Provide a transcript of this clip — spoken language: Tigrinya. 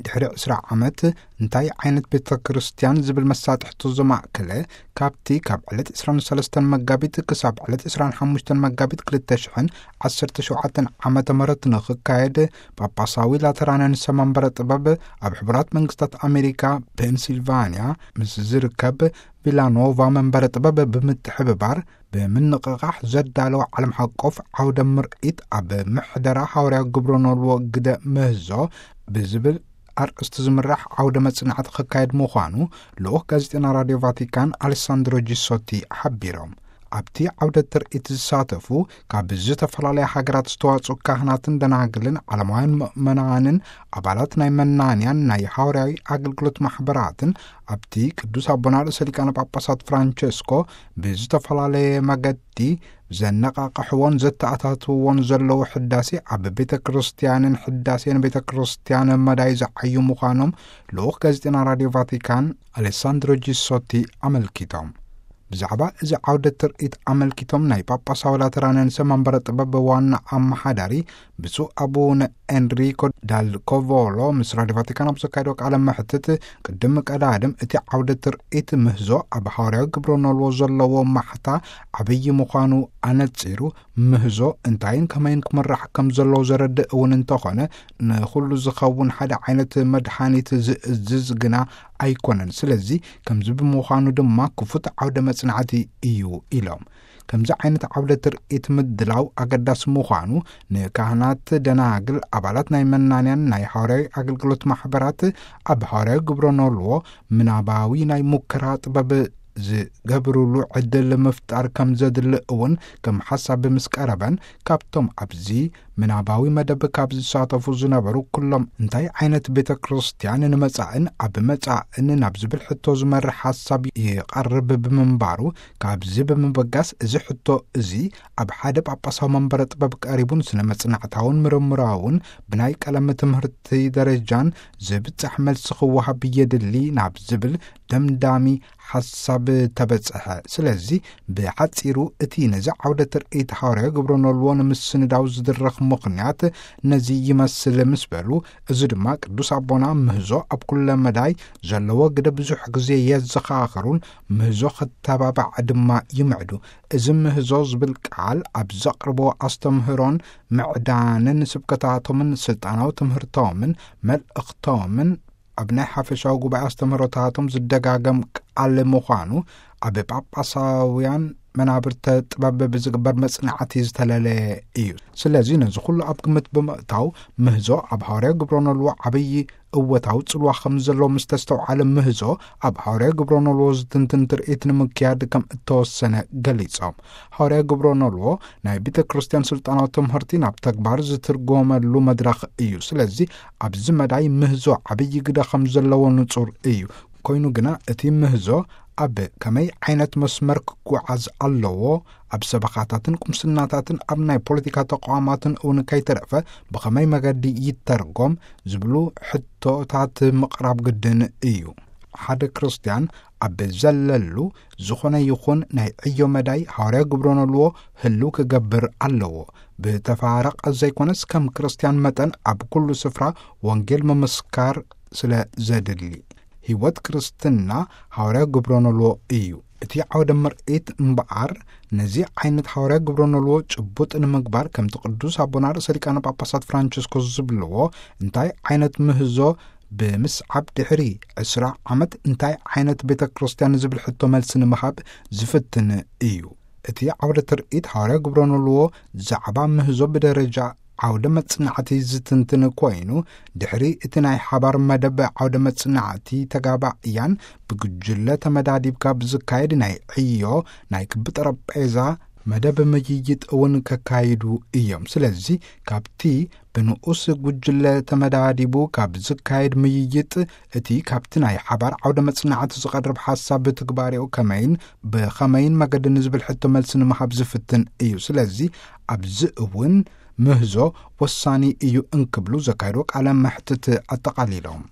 ድሕሪ ዕስራ ዓመት እንታይ ዓይነት ቤተ ክርስቲያን ዝብል መሳጥሕቱ ዘማእከለ፣ ካብቲ ካብ ዕለት ዕስራን ሰለስተን መጋቢት ክሳብ ዕለት ዕስራን ሓሙሽተን መጋቢት ክልተ ሽሕን ዓሰርተ ሸውዓተን ዓመተ ምህረት ንኽካየድ ጳጳሳዊ ላተራንያን ሰማንበረ ጥበብ ኣብ ሕቡራት መንግስታት ኣሜሪካ ፔንሲልቫንያ ምስ ዝርከብ ቪላኖቫ መንበረ ጥበብ ብምትሕብባር ብምንቕቓሕ ዘዳለወ ዓለም ሓቆፍ ዓውደ ምርኢት ኣብ ምሕደራ ሃዋርያዊ ግብረ ኖልዎ ግደ ምህዞ ብዝብል ኣርእስቲ ዝምራሕ ዓውደ መጽናዕቲ ክካየድ ምዃኑ ልኡኽ ጋዜጠና ራድዮ ቫቲካን ኣሌሳንድሮ ጂሶቲ ሓቢሮም። ኣብቲ ዓውደ ትርኢት ዝሳተፉ ካብ ዝተፈላለያ ሃገራት ዝተዋጽኡ ካህናትን ደናግልን ዓለማውያን ምእመናንን ኣባላት ናይ መናንያን ናይ ሃዋርያዊ ኣገልግሎት ማሕበራትን ኣብቲ ቅዱስ ኣቦና ርእሰ ሊቃነ ጳጳሳት ፍራንቸስኮ ብዝተፈላለየ መገዲ ዘነቓቕሕዎን ዘተኣታትውዎን ዘለዉ ሕዳሴ ኣብ ቤተ ክርስቲያንን ሕዳሴን ቤተ ክርስቲያን መዳይ ዝዓዩ ምዃኖም ልኡኽ ጋዜጠና ራድዮ ቫቲካን ኣሌሳንድሮ ጂሶቲ ኣመልኪቶም። ብዛዕባ እዚ ዓውደ ትርኢት ኣመልኪቶም ናይ ጳጳሳዊ ላተራንያን ሰማንበረ ጥበብ ዋና ኣመሓዳሪ ብፁዕ ኣቡነ ኤንሪኮ ዳል ኮቮሎ ምስ ራድዮ ቫቲካን ኣብ ዘካየዶ ቃለ መሕትት፣ ቅድም ቀዳድም እቲ ዓውደ ትርኢት ምህዞ ኣብ ሃዋርያዊ ግብረ ኖልዎ ዘለዎ ማሕታ ዓብዪ ምዃኑ ኣነጺሩ፣ ምህዞ እንታይን ከመይን ክምራሕ ከም ዘለዎ ዘረድእ እውን እንተኾነ፣ ንኹሉ ዝኸውን ሓደ ዓይነት መድሓኒት ዝእዝዝ ግና ኣይኮነን። ስለዚ ከምዚ ብምዃኑ ድማ ክፉት ዓውደ መጽናዕቲ እዩ ኢሎም። ከምዚ ዓይነት ዓውደ ትርኢት ምድላው ኣገዳሲ ምዃኑ ንካህናት፣ ደናግል፣ ኣባላት ናይ መናንያን ናይ ሃዋርያዊ ኣገልግሎት ማሕበራት ኣብ ሃዋርያዊ ግብረ ኖልዎ ምናባዊ ናይ ሙከራ ጥበብ ዝገብሩሉ ዕድል ምፍጣር ከም ዘድሊ እውን ከም ሓሳብ ምስ ቀረበን፣ ካብቶም ኣብዚ ምናባዊ መደብ ካብ ዝሳተፉ ዝነበሩ ኩሎም እንታይ ዓይነት ቤተ ክርስቲያን ንመጻእን ኣብ መጻእን ናብ ዝብል ሕቶ ዝመርሕ ሓሳብ ይቐርብ ብምንባሩ፣ ካብዚ ብምብጋስ እዚ ሕቶ እዚ ኣብ ሓደ ጳጳሳዊ መንበረ ጥበብ ቀሪቡን ስነ መጽናዕታውን ምርምራውን ብናይ ቀለም ትምህርቲ ደረጃን ዝብጻሕ መልሲ ክወሃብ የድሊ ናብ ዝብል ደምዳሚ ሓሳብ ተበጽሐ። ስለዚ ብሓጺሩ እቲ ነዚ ዓውደ ትርኢት ሃዋርያዊ ግብረ ኖልዎ ንምስንዳው ዝድረኽ ምኽንያት ነዚ ይመስል ምስ በሉ፣ እዚ ድማ ቅዱስ ኣቦና ምህዞ ኣብ ኩለ መዳይ ዘለዎ ግደ ብዙሕ ግዜ የዘኻኽሩን ምህዞ ክተባባዕ ድማ ይምዕዱ። እዚ ምህዞ ዝብል ቃል ኣብ ዘቕርቦ ኣስተምህሮን ምዕዳንን ስብከታቶምን ስልጣናዊ ትምህርቶምን መልእኽቶምን ኣብ ናይ ሓፈሻዊ ጉባኤ ኣስተምህሮታቶም ዝደጋገም ቃል ምዃኑ ኣብ ጳጳሳውያን መናብርተ ጥበብ ብዝግበር መጽናዕቲ ዝተለለየ እዩ። ስለዚ ነዚ ኩሉ ኣብ ግምት ብምእታው ምህዞ ኣብ ሃዋርያዊ ግብረ ኖልዎ ዓብዪ እወታዊ ጽልዋ ከም ዘለዎ ምስ ተስተውዓለ ምህዞ ኣብ ሃዋርያዊ ግብረ ኖልዎ ዝትንትን ትርኢት ንምክያድ ከም እተወሰነ ገሊጾም። ሃዋርያዊ ግብረ ኖልዎ ናይ ቤተ ክርስቲያን ስልጣናዊ ትምህርቲ ናብ ተግባር ዝትርጎመሉ መድረኽ እዩ። ስለዚ ኣብዚ መዳይ ምህዞ ዓብዪ ግደ ከም ዘለዎ ንጹር እዩ። ኮይኑ ግና እቲ ምህዞ ኣብ ከመይ ዓይነት መስመር ክጓዓዝ ኣለዎ፣ ኣብ ሰበኻታትን ቁምስናታትን ኣብ ናይ ፖለቲካ ተቋማትን እውን ከይተረፈ ብኸመይ መገዲ ይተርጎም ዝብሉ ሕቶታት ምቕራብ ግድን እዩ። ሓደ ክርስቲያን ኣብ ዘለሉ ዝኾነ ይኹን ናይ ዕዮ መዳይ ሃዋርያዊ ግብረ ኖልዎ ህልው ክገብር ኣለዎ። ብተፋረቕ ዘይኮነስ ከም ክርስቲያን መጠን ኣብ ኩሉ ስፍራ ወንጌል ምምስካር ስለ ዘድሊ። ህይወት ክርስትና ሃዋርያዊ ግብረ ኖልዎ እዩ። እቲ ዓውደ ምርኢት እምበኣር ነዚ ዓይነት ሃዋርያዊ ግብረ ኖልዎ ጭቡጥ ንምግባር ከምቲ ቅዱስ ኣቦና ርእሰ ሊቃነ ጳጳሳት ፍራንቸስኮስ ዝብልዎ እንታይ ዓይነት ምህዞ ብምስዓብ ድሕሪ ዕስራ ዓመት እንታይ ዓይነት ቤተ ክርስቲያን ዝብል ሕቶ መልሲ ንምሃብ ዝፍትን እዩ። እቲ ዓውደ ትርኢት ሃዋርያዊ ግብረ ኖልዎ ዛዕባ ምህዞ ብደረጃ ዓውደ መጽናዕቲ ዝትንትን ኮይኑ፣ ድሕሪ እቲ ናይ ሓባር መደብ ዓውደ መጽናዕቲ ተጋባእያን ብጉጅለ ተመዳዲብካ ብዝካየድ ናይ ዕዮ ናይ ክቢ ጠረጴዛ መደብ ምይይጥ እውን ከካይዱ እዮም። ስለዚ ካብቲ ብንኡስ ጉጅለ ተመዳዲቡ ካብ ዝካየድ ምይይጥ፣ እቲ ካብቲ ናይ ሓባር ዓውደ መጽናዕቲ ዝቐርብ ሓሳብ ብትግባሬኡ ከመይን ብኸመይን መገዲ ንዝብል ሕቶ መልሲ ንምሃብ ዝፍትን እዩ። ስለዚ ኣብዚ እውን ምህዞ ወሳኒ እዩ እንክብሉ ዘካየድዎ ቃለ መሕትት ኣጠቓሊሎም።